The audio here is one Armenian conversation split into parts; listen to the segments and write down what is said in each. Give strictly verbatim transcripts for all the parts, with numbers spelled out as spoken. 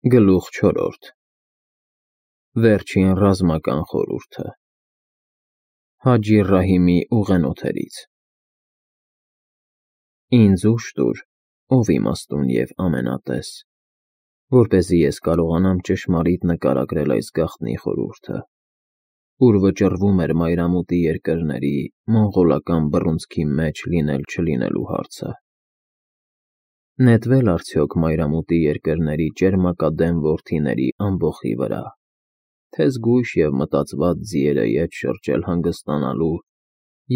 Գլուխ չորրորդ Վերջին ռազմական խորհուրդը Հաջի Ռահիմի ուղենոթերից Ինձ ուժ տուր, ով իմաստուն և ամենատես, որպեսզի ես կարողանամ ճշմարիտ նկարագրել այս գաղտնի խորհուրդը, ուր վճռվում էր մայրամուտի երկրների մոնղոլական բռունցքի մեջ լինել-չլինելու հարցը։ Նետվե՞լ արդյոք մայրամուտի երկրների ճերմակադեմ որդիների ամբոխի վրա, թե զգույշ և մտածված ձիերը ետ շրջել հանգստանալու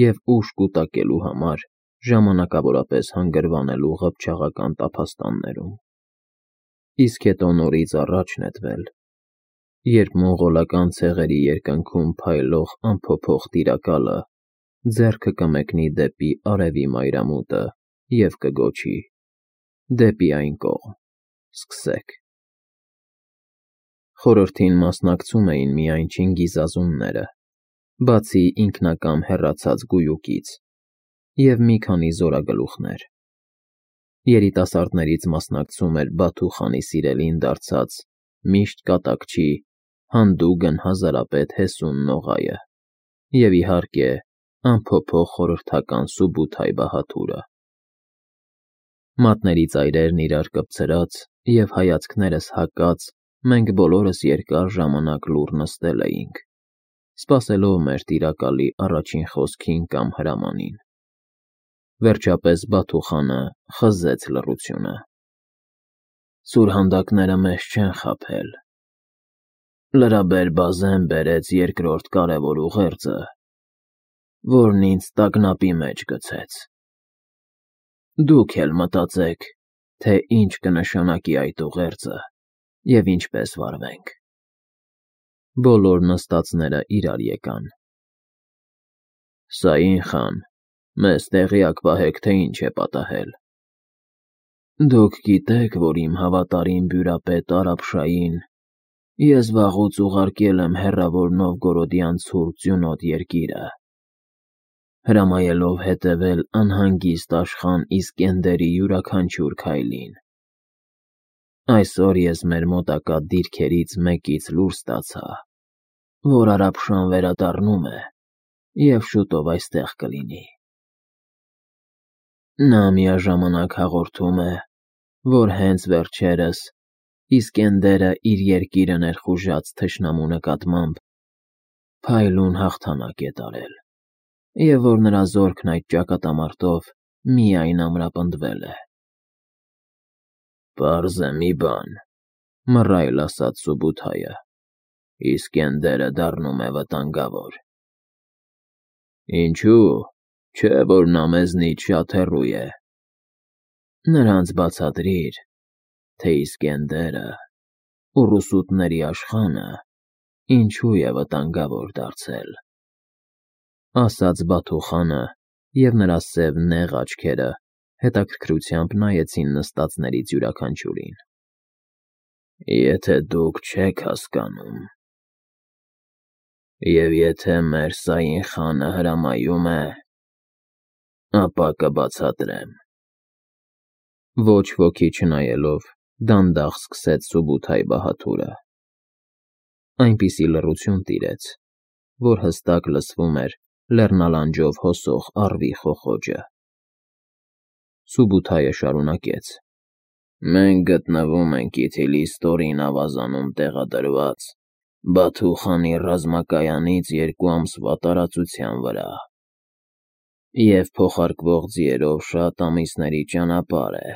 և ուժ կուտակելու համար ժամանակավորապես հանգրվանելու ղփչաղական տափաստաններում, իսկ հետո նորից առաջ նետվել, երբ մոնղոլական ցեղերի երկնքում փայլող անփոփոխ Տիրակալը ձեռքը կմեկնի դեպի արևի մայրամուտը և կգոչի. «Դեպի այն կողմ, սկսեք»։ Խորհրդին մասնակցում էին միայն չինգիզազունները, բացի ինքնակամ հեռացած Գույուկից, և մի քանի զորագլուխներ։ Երիտասարդներից մասնակցում էր Բաթու խանի սիրելին դարձած միշտ կատակչի, հանդուգն հազարապետ Հեսուն Նողայը և, իհարկե, անփոփոխ խորհրդական Սուբութայ բահադուրը։ Մատների ծայրերն իրար կպցրած և հայացքներս հակած, մենք բոլորս երկար ժամանակ լուռ նստել էինք, սպասելով մեր Տիրակալի առաջին խոսքին կամ հրամանին։ Վերջապես Բաթու խանը խզեց լռությունը. «Սուրհանդակները մեզ չեն խաբել։ Լրաբեր Բազեն բերեց երկրորդ կարևոր ուղերձը, որն ինձ տագնապի մեջ գցեց։ Դուք էլ մտածեք, թե ինչ կնշանակի այդ ուղերձը և ինչպես վարվենք»։ Բոլոր նստածները իրար եկան։ «Սաին խան, մեզ տեղյակ պահեք, թե ինչ է պատահել»։ «Դուք գիտեք, որ իմ հավատարիմ բյուրապետ Արաբշային ես վաղուց ուղարկել եմ հեռավոր Նովգորոդյան ցուրտ ձյունոտ երկիրը, հրամայելով հետևել անհանգիստ Աշխան Իսկենդերի յուրաքանչյուր քայլին։ Այսօր ես մեր մոտակա դիրքերից մեկից լուր ստացա, որ Արաբշան վերադառնում է և շուտով այստեղ կլինի։ Նա միաժամանակ հաղորդում է, որ հենց վերջերս Իսկենդերը իր երկիրը ներխուժած թշնամու նկատմամբ փայլուն հաղթանակ է տարել, և որ նրա զորքն այդ ճակատամարտով միայն ամրապնդվել է»։ «Պարզ է մի բան,» մռայլ ասաց Սուբութայը. «Իսկենդերը դառնում է վտանգավոր»։ «Ինչո՞ւ, չէ՞ որ նա մեզնից շատ հեռու է»։ «Նրանց բացատրիր, թե Իսկենդերը, ուռուսուտների Աշխանը, ինչու է վտանգավոր դարձել», ասաց Բաթու խանը, և նրա սև նեղ աչքերը հետաքրքրությամբ նայեցին նստածներից յուրաքանչյուրին։ «Եթե դուք չեք հասկանում, և եթե մեր Սաին խանը հրամայում է, ապա կբացատրեմ»։ Ոչ ոքի չնայելով, դանդաղ սկսեց Սուբութայ բահադուրը։ Այնպիսի լռություն տիրեց, որ հստակ լսվում էր լեռնալանջով հոսող առվի խոխոջը։ Սուբութայը շարունակեց. «Մենք գտնվում ենք Իթիլի ստորին ավազանում տեղադրված Բաթու խանի ռազմակայանից երկու ամսվա տարածության վրա, և փոխարկվող ձիերով շատ ամիսների ճանապարհ է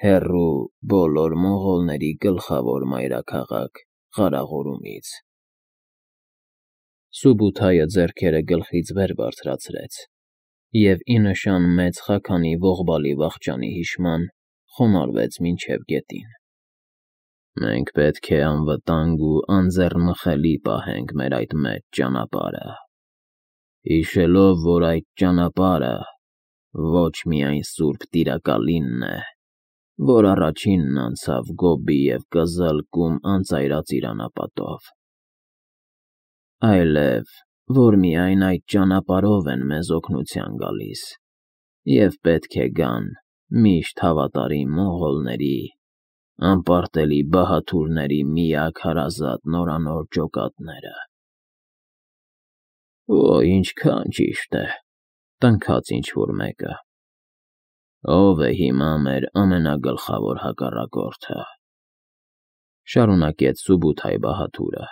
հեռու բոլոր մոնղոլների գլխավոր մայրաքաղաք Ղարաղորումից»։ Սուբութայը ձեռքերը գլխից վեր բարձրացրեց և, ի նշան մեծ խաքանի ողբալի վախճանի հիշման, խոնարհվեց մինչև գետին։ «Մենք պետք է անվտանգ ու անձեռնմխելի պահենք մեր այդ մեծ ճանապարհը, հիշելով, որ այդ ճանապարհը ոչ միայն Սուրբ Տիրակալինն է, որ առաջինն անցավ Գոբի և Կզլկում անծայրածիր անապատով, այլև, որ միայն այդ ճանապարհով են մեզ օգնության գալիս և պետք է գան միշտ հավատարիմ մոնղոլների անպարտելի բահաթուրների միակ հարազատ նորանոր ջոկատները։ Օ, ինչքան ճիշտ է,֊ տնքաց ինչ-որ մեկը։ Ո՞վ է հիմա մեր ամենագլխավոր հակառակորդը,֊ շարունակեց Սուբութայ Բահաթուրը,֊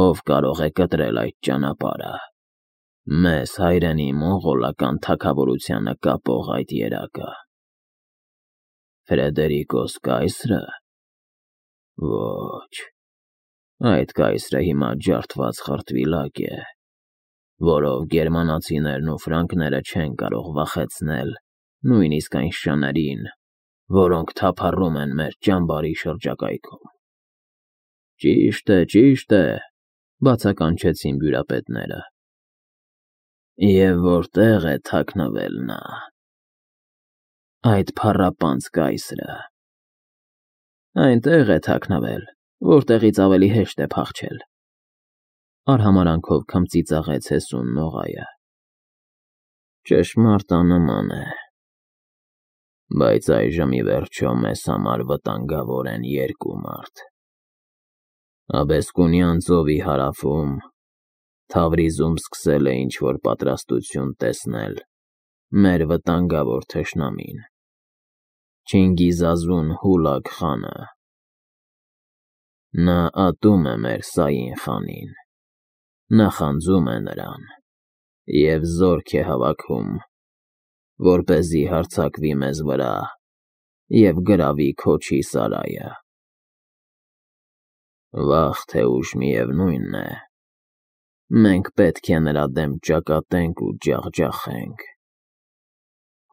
ով կարող է կտրել այդ ճանապարհը, մեզ հայրենի մոնղոլական թագավորությանը կապող այդ երակը։ Ֆրեդերիկոս կայսրը։ Ոչ, այդ կայսրը հիմա ջարդված խրտվիլակ է, որով գերմանացիներն ու ֆրանկները չեն կարող վախեցնել նույնիսկ այն շներին, որոնք թափառում են մեր ճամբարի շրջակայքում։ Ճիշտ է, ճիշտ է,֊ բացականչեցին բյուրապետները։ Եվ որտեղ է թաքնվել նա, այդ փառապանծ կայսրը։ Այնտեղ է թաքնվել, որտեղից ավելի հեշտ է փախչել,֊ արհամարհանքով քմծիծաղեց հեսուն նողայը։ Ճշմարտանման է, բայց այժմ ի վերջո մեզ համար վտանգավոր են երկու մարդ. Աբեսկունյան ծովի հարավում Թավրիզում սկսել է ինչ-որ պատրաստություն տեսնել մեր վտանգավոր թշնամին՝ Չինգիզազուն Հուլագ խանը։ Նա ատում է մեր Սային խանին, նախանձում է նրան և զորք է հավաքում, որպեսզի հարձակվի մեզ վրա և գրավի Քոչի սարայը։ Վաղ թե ուշ, միևնույն է, մենք պետք է նրա դեմ ճակատենք ու ջախջախենք։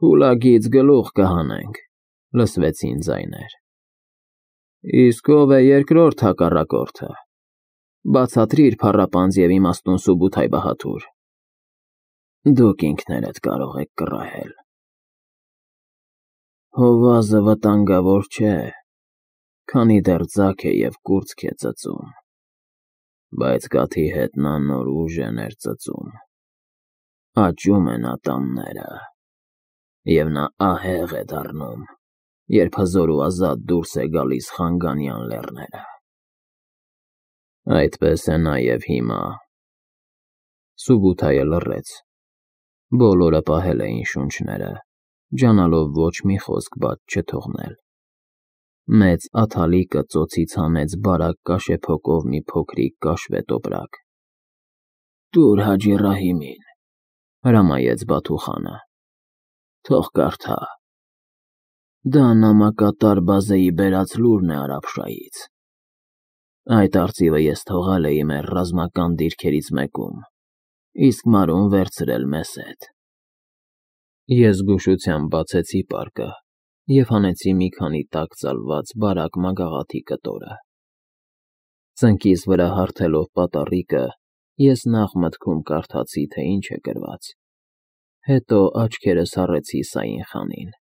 Հուլագից գլուխ կհանենք,֊ լսվեցին ձայներ։ Իսկ ո՞վ է երկրորդ հակառակորդը, բացատրիր, փառապանծ և իմաստուն Սուբութայ Բահաթուր։ Դուք ինքներդ կարող եք կռահել։ Հովազը վտանգավոր չէ, քանի դեռ ձագ է և կուրծք է ծծում, բայց կաթի հետ նա նոր ուժ է ներծծում, աճում են ատամները, և նա ահեղ է դառնում, երբ հզոր ու ազատ դուրս է գալիս Խանգանյան լեռները։ Այդպես է նաև հիմա։ Սուբութայը լռեց, բոլորը պահել էին շունչները, ջանալով ոչ մի խոսք բաց չթողնել։ Մեծ աթալիկը ծոցից հանեց բարակ կաշեփոկով մի փոքրիկ կաշվե տոպրակ։ Տուր Հաջի Ռահիմին,֊ հրամայեց Բաթուխանը,֊ թող կարդա։ Դա նամակատար Բազեի բերած լուրն է Արաբշայից։ Այդ արծիվը ես թողել էի մեր ռազմական դիրքերից մեկում, իսկ մարուն վերցրել մեզ հետ։ Ես զգուշությամբ բացեցի պարկը և հանեցի մի քանի տաք ծալված բարակ մագաղաթի կտորը։ Ծնկիս վրա հարթելով պատառիկը, ես նախ մտքում կարդացի, թե ինչ է գրված, հետո աչքերս հառեցի Սային խանին։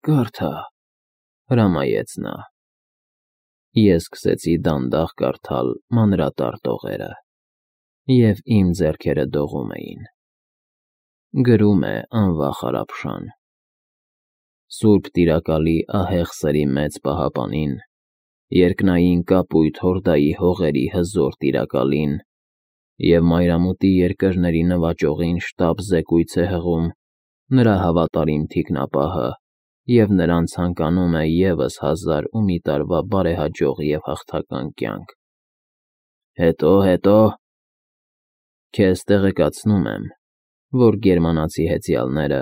Կարդա,֊ հրամայեց նա։ Ես սկսեցի դանդաղ կարդալ մանրատար տողերը, և իմ ձեռքերը դողում էին։ Գրում է անվախ Արաբշան. Սուրբ Տիրակալի ահեղ սրի մեծ պահապանին, երկնային կապույտ Հորդայի հողերի հզոր Տիրակալին և մայրամուտի երկրների նվաճողին շտապ զեկույց է հղում նրա հավատարիմ թիկնապահը և նրան ցանկանում է ևս հազար ու մի տարվա բարեհաջող և հաղթական կյանք։ Հետո, հետո… Քեզ տեղեկացնում եմ, որ գերմանացի հեծյալները,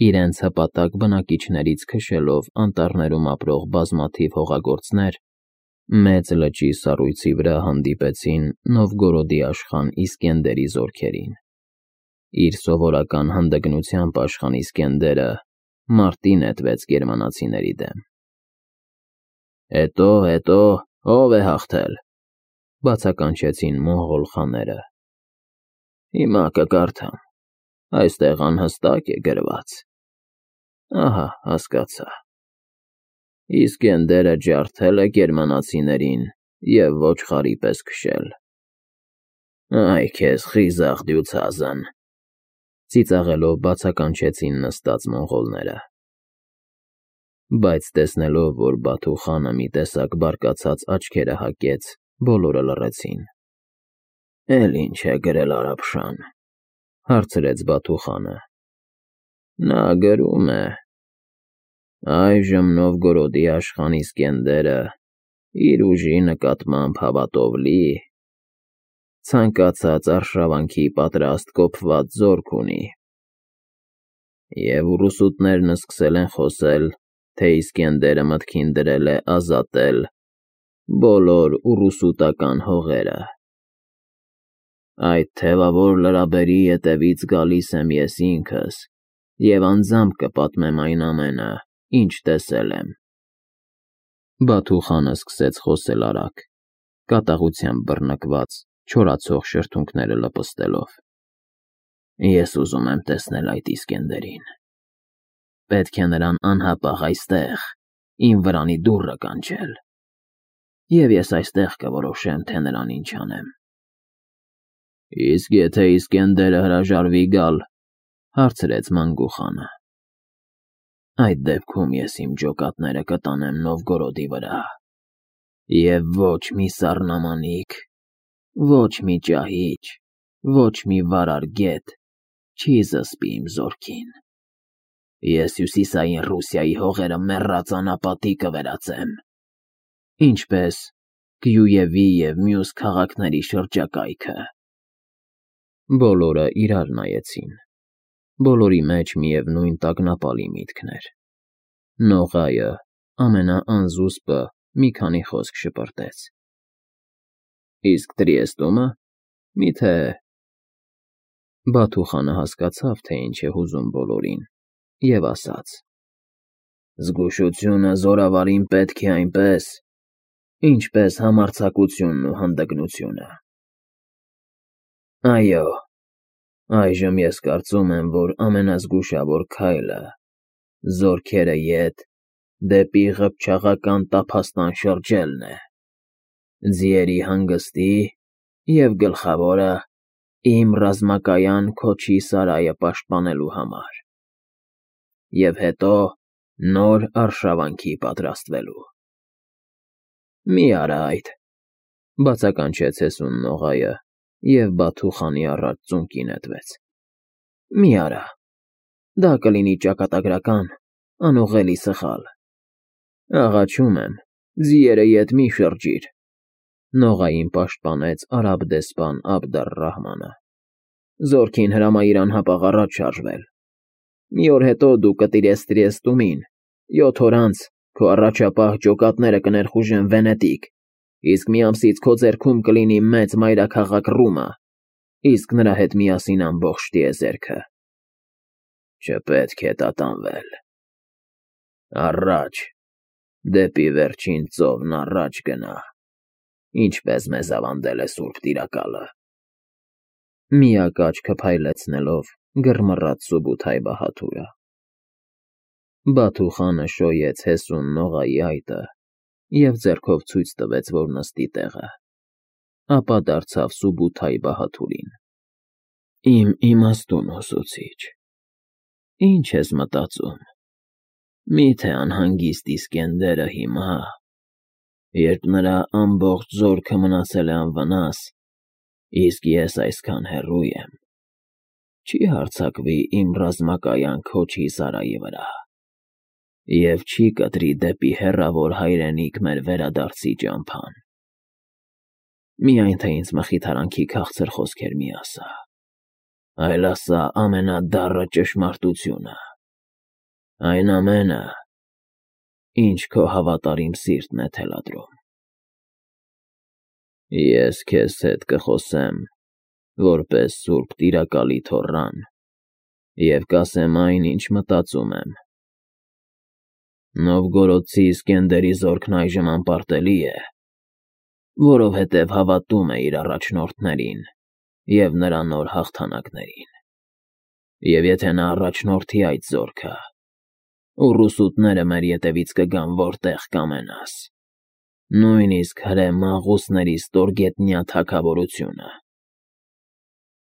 իրենց հպատակ բնակիչներից քշելով անտառներում ապրող բազմաթիվ հողագործներ, մեծ լճի սառույցի վրա հանդիպեցին Նովգորոդի աշխան Իսկենդերի զորքերին։ Իր սովորական հանդգնությամբ աշխան Իսկենդերը մարտի նետվեց գերմանացիների դեմ։ Հետո, հետո, ո՞վ է հաղթել,֊ բացականչեցին մոնղոլ խաները։ Հիմա կկարդամ, այստեղ անհստակ է գրված։ Ահա, հասկացա։ Իսկենդերը ջարդել է գերմանացիներին և ոչխարի պես քշել։ Այ քեզ խիզախ դյուցազն,֊ ծիծաղելով բացականչեցին նստած մոնղոլները։ Բայց տեսնելով, որ Բաթու խանը մի տեսակ բարկացած աչքերը հակեց, բոլորը լռեցին։ Էլ ինչ է գրել Արաբշան, հարցրեց Բաթու խանը։ Նա գրում է. այժմ Նովգորոդի աշխան Իսկենդերը իր ուժի նկատմամբ հավատով լի, ցանկացած արշավանքի պատրաստ կոփված զորք ունի։ Եվ ուռուսուտներն սկսել են խոսել, թե Իսկենդերը մտքին դրել է ազատել բոլոր ուռուսուտական հողերը։ Այդ թևավոր լրաբերի ետևից գալիս եմ ես ինքս և անձամբ կպատմեմ այն ամենը, ինչ տեսել եմ։ Բաթու խանը սկսեց խոսել արագ, կատաղությամբ բռնկված, չորացող շրթունքները լպստելով։ Ես ուզում եմ տեսնել այդ Իսկենդերին։ Պետք է նրան անհապաղ այստեղ, իմ վրանի դուռը կանչել, և ես այստեղ կորոշեմ, թե նրան ինչ անեմ։ Իսկ եթե Իսկենդերը հրաժարվի գալ, հարցրեց Մանգու խանը։ Այդ դեպքում ես իմ ջոկատները կտանեմ Նովգորոդի վրա, և ոչ մի սառնամանիք, ոչ մի ճահիճ, ոչ մի վարար գետ չի զսպի իմ զորքին։ Ես հյուսիսային Ռուսիայի հողերը մեռած անապատի կվերածեմ, ինչպես Կիևի և մյուս քաղաքների շրջակայքը։ Բոլորը իրար նայեցին։ Բոլորի մեջ միևնույն տագնապալի միտքն էր։ Նողայը, ամենաանզուսպը, մի քանի խոսք շպրտեց։ Իսկ Տրիեստումը, մի՞թե… Բաթու խանը հասկացավ, թե ինչ է հուզում բոլորին, և ասաց. Զգուշությունը զորավարին պետք է այնպես, ինչպես համարձակությունն ու հանդգնությունը։ Այո, այժմ ես կարծում եմ, որ ամենազգուշավոր քայլը զորքերը ետ դեպի ղփչաղական տափաստան շրջելն է, ձիերի հանգստի և գլխավորը իմ ռազմակայան Քոչի սարայը պաշտպանելու համար, և հետո նոր արշավանքի պատրաստվելու։ Մի արա այդ, բացականչեց հեսուն Նողայը և Բաթու խանի առաջ ծունկի նետվեց։ Մի արա, դա կլինի ճակատագրական, անուղղելի սխալ։ Աղաչում եմ, ձիերը ետ մի շրջիր, Նողային պաշտպանեց արաբ դեսպան Աբդ առ֊Ռահմանը։ Զորքին հրամայիր անհապաղ առաջ շարժվել։ Մի օր հետո դու կտիրես Տրիեստումին, յոթ օր անց քո առաջապահ ջոկատները կներխուժեն Վենետիկ, իսկ մի ամսից քո ձեռքում կլինի մեծ մայրաքաղաք Ռումը, իսկ նրա հետ միասին ամբողջ տիեզերքը։ Չպետք է տատանվել։ Առաջ, դեպի վերջին ծովն առաջ գնա, ինչպես մեզ ավանդել է Սուրբ Տիրակալը։ Միակ աչքը փայլեցնելով գրմռաց Սուբութայ բահադուրը։ Բաթու խանը շոյեց հեսուն Նողայի այտը և ձեռքով ցույց տվեց, որ նստի տեղը, ապա դարձավ Սուբութայ բահադուրին։ Իմ իմաստուն ուսուցիչ, ի՞նչ ես մտածում, մի՞թե անհանգիստ Իսկենդերը հիմա, երբ նրա ամբողջ զորքը մնացել է անվնաս, իսկ ես այսքան հեռու եմ, չի հարձակվի իմ ռազմակայան Քոչի սարայի վրա և չի կտրի դեպի հեռավոր հայրենիք մեր վերադարձի ճամփան։ Միայն թե ինձ մխիթարանքի քաղցր խոսքեր մի ասա, այլ ասա ամենադառը ճշմարտությունը, այն ամենը, ինչ քո հավատարիմ սիրտն է թելադրում։ Ես քեզ հետ կխոսեմ, որպես Սուրբ Տիրակալի թոռան, և կասեմ այն, ինչ մտածում եմ։ Նովգորոդցի Իսկենդերի զորքն այժմ անպարտելի է, որովհետև հավատում է իր առաջնորդներին և նրա նոր հաղթանակներին։ Եվ եթե նա առաջնորդի այդ զորքը, ուռուսուտները մեր ետևից կգան որտեղ կամենաս, նույնիսկ հրե մաղուսների ստորգետնյա թագավորությունը։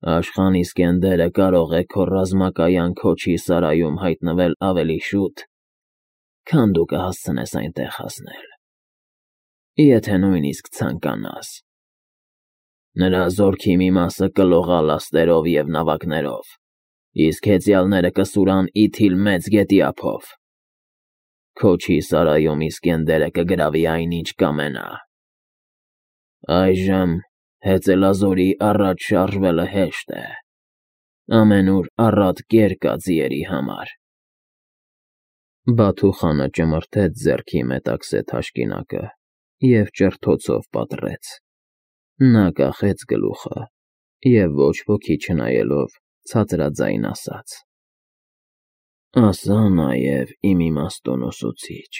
Աշխան Իսկենդերը կարող է քո ռազմակայան Քոչի սարայում հայտնվել ավելի շուտ, քան դու կհասցնես այնտեղ հասնել, եթե նույնիսկ ցանկանաս։ Նրա զորքի մի մասը կլողա լաստերով և նավակներով, իսկ հեծյալները կսուրան ի թիլ մեծ գետի ափով։ Քոչի Սարայում Իսկենդերը կգրավի այնինչ կամենա։ Այժմ հեծելազորի առաջ շարժվելը հեշտ է, ամենուր առատ կեր կա ձիերի համար։ Բաթուխանը ճմրթեց ձեռքի մետաքսե թաշկինակը և ճրթոցով պատռեց։ Նա կախեց գլուխը և ոչ ոքի չնայելով ցածրաձայն ասաց. «Ասա նաև իմ իմաստուն ուսուցիչ,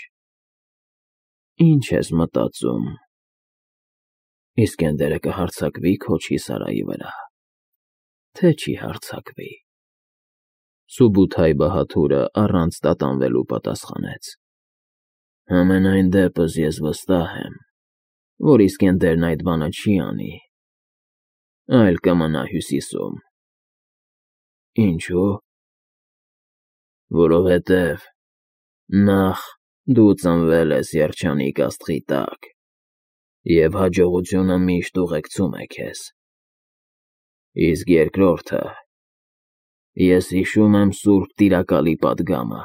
ի՞նչ ես մտածում, Իսկենդերը կհարձակվի Քոչի Սարայի վրա, թե չի հարձակվի»։ Սուբութայ-Բահադուրը առանց տատանվելու պատասխանեց. «Համենայն դեպս ես վստահ եմ, որ Իսկենդերն այդ բանը չի անի, այլ կմնա Հյուսիսում»։ Ինչո՞ւ։ Որովհետև նախ դու ծնվել ես երջանիկ աստղի տակ, և հաջողությունը միշտ ուղեկցում է քեզ, իսկ երկրորդը, ես հիշում եմ սուրբ Տիրակալի պատգամը,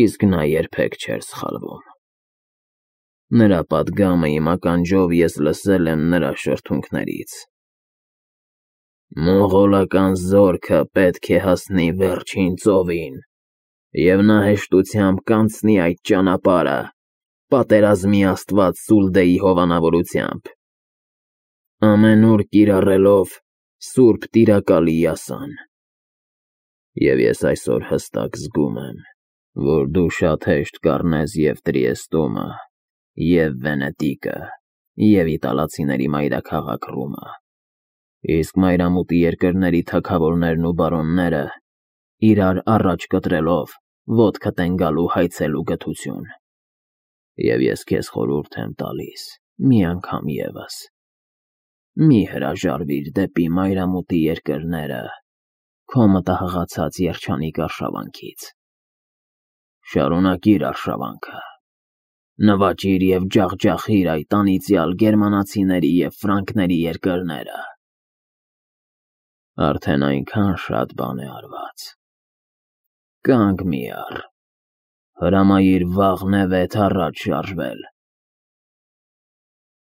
իսկ նա երբեք չէր սխալվում։ Նրա պատգամը իմ ականջով ես լսել եմ նրա շրթունքներից. «Մոնղոլական զորքը պետք է հասնի վերջին ծովին, և նա հեշտությամբ կանցնի այդ ճանապարհը, պատերազմի աստված Սուլդեի հովանավորությամբ, ամենուր կիրառելով սուրբ Տիրակալի յասան։ Եվ ես այսօր հստակ զգում եմ, որ դու շատ հեշտ կառնես և Տրիեստումը, և Վենետիկը, և իտալացիների մայրաքաղաք Ռումը, իսկ մայրամուտի երկրների թագավորներն ու բարոնները, իրար առաջ կտրելով, ոտքդ են գալու հայցելու գթություն։ Եվ ես քեզ խորհուրդ եմ տալիս մի անգամ ևս. մի հրաժարվիր դեպի մայրամուտի երկրները քո մտահղացած երջանիկ արշավանքից։ Շարունակիր արշավանքը, նվաճիր և ջախջախիր այդ անիծյալ գերմանացիների և ֆրանկների երկրները։ Արդեն այնքան շատ բան է արված։ Կանգ մի առ, հրամայիր վաղն է վեց առաջ շարժվել,